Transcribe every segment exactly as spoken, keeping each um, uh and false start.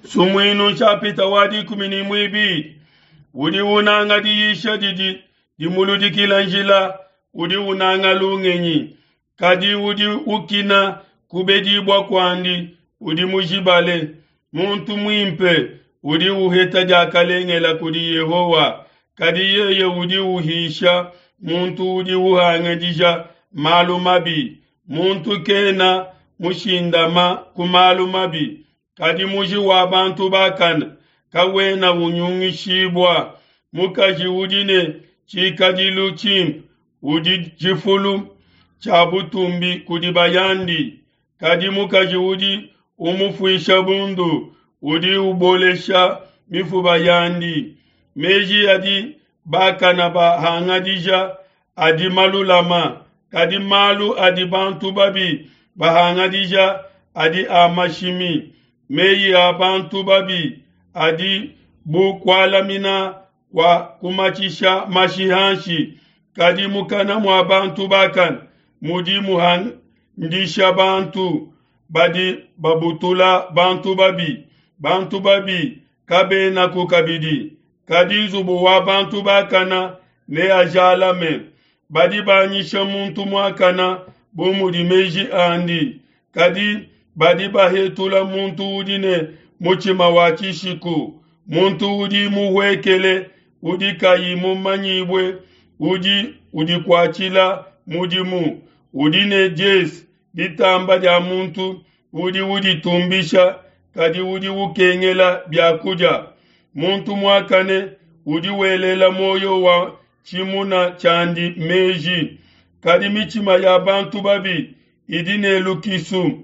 Sumuinu nshapita wa dikumi ne muibidi udi unanga diyisha didi dimuludikila njila, udi unanga lungenyi, kadi udi ukina kubedibua kuandi udi mujibale. Muntu muimpe udi uheta diakalengela kudi Yehowa, kadi yeye udi uhisha muntu udi uhangadija malu mabi. Muntu kena mushindama ku malu mabi, kadi muji wa bantu bakane kawena unyungishibua. Mukaji udi ne tshikadilu tshimpe udi tshifulu tshia butumbi kudi bayandi, kadi mukaji udi umufuisha bundu udi ubolesha mifuba yandi. Meji adi bakana bahangadija adi malulama, kadi malu adi bantu babi bahangadija adi a mashimi. Meyi a bantu babi adi bu kualamina kwa kumatshisha mashi hanshi, kadi mukana mua bantu bakane mudi muhandisha bantu. Badi babutula bantu babi, bantu babi kabenaku kabidi, kadi nzubu wa bantu bakana neajalame. Badi banyisha muntu muakana bu mudi meji andi, kadi badi bahetula muntu udi ne mutshima wa tshishiku. Muntu udi muhuekele udi kayi mumanyibue udi udikuatshila mudimu, udi ne diesi ditamba dia muntu udi uditumbisha, kadi udi ukengela bia kudia. Muntu muakane udi welela muoyo wa tshimuna tshiandi meji, kadi mitshima ya bantu babi idi ne lukisu.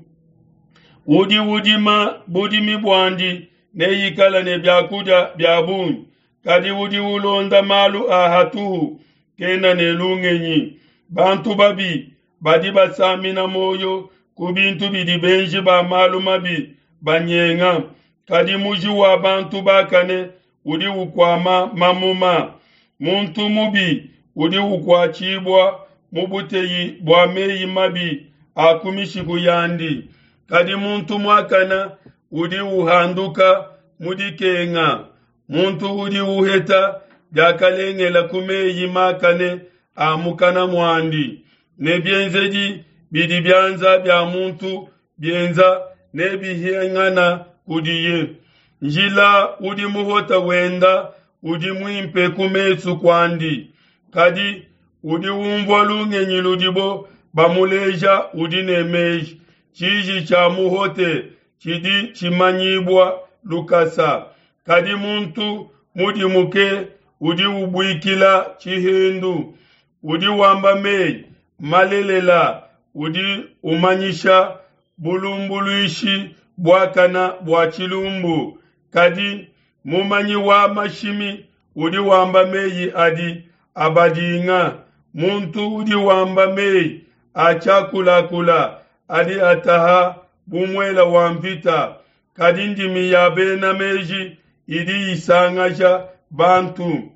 Udi udima budimi buandi neikale ne biakudia bia bungi, kadi udi ulonda malu a hatuhu kena ne lungenyi. Bantu babi badi basamina muoyo ku bintu bidi benji ba malu mabi banyenga, kadi muji wa bantu bakane udi ukuama mamuma. Muntu mubi udi ukuatshibua mu buteyi bua meyi mabi a ku mishiku yandi, kadi muntu muakane udi uhanduka mu dikenga. Muntu udi uheta diakalengela ku meyi makane a mukana muandi, ne bienzedi bidi bianza bia muntu bienza nebihingana kudiye. Njila udi muhota wenda udi muimpe ku mesu kuandi, kadi udi umvua lungenyi ludibo bamuleja udi ne meji. Tshiji tshia muhote tshidi tshimanyibua lukasa, kadi muntu mudimuke udi ubuikila tshihendu. Udi wamba meyi malelela udi umanyisha bulumbuluishi buakana bua tshilumbu, kadi mumanyi wa mashimi udi wamba meyi adi abadinga. Muntu udi wamba meyi a tshiakulakula adi ataha bu muela wa mvita, kadi ndimi ya bena meji idi isangasha bantu.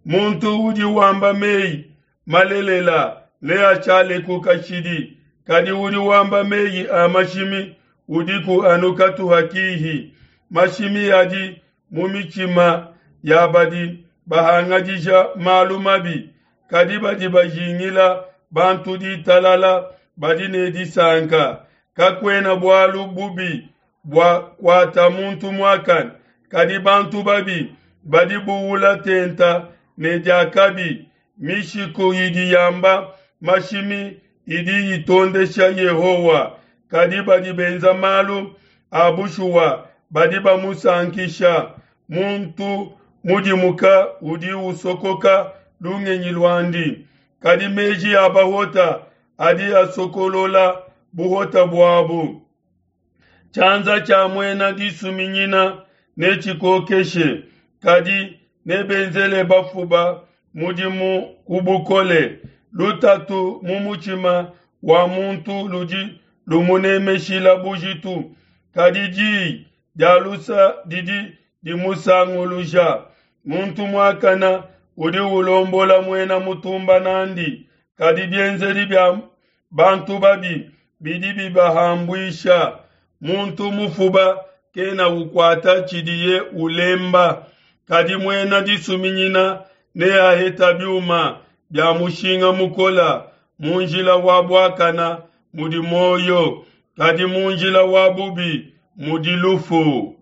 Muntu udi wamba meyi malelela neashaleku kashidi, kadi udi wamba meyi a mashimi udiku anu katuha kihi. Mashimi adi mu mitshima ya badi bahangadija malu mabi, kadi badi bajingila bantu ditalala badi ne disanka. Kakuena bualu bubi bua kuata muntu muakane, kadi bantu babi badi buula tenta ne diakabi. Mishiku idi yamba mashimi idi itondesha Yehowa, kadi badi benza malu a bushuwa badi bamusankisha. Muntu mudimuka udi usokoka lungenyi luandi, kadi meji a bahota adi asokolola buhota buabu. Tshianza tshia muena disuminyina netshikokeshe, kadi nebenzele bafuba mudimu ku bukole. Lutatu mu mutshima wa muntu ludi lumunemeshila bujitu, kadi diyi dia lusa didi dimusanguluja. Muntu muakana udi ulombola muena mutumba nandi, kadi bienzedi bia bantu babi bidi bibahambuisha. Muntu mufuba kena ukuata tshidiye ulemba, kadi muena disuminyina neaheta biuma bia mushinga mukola. Mu njila wa buakana mudi muoyo, kadi mu njila wa bubi mudi lufu.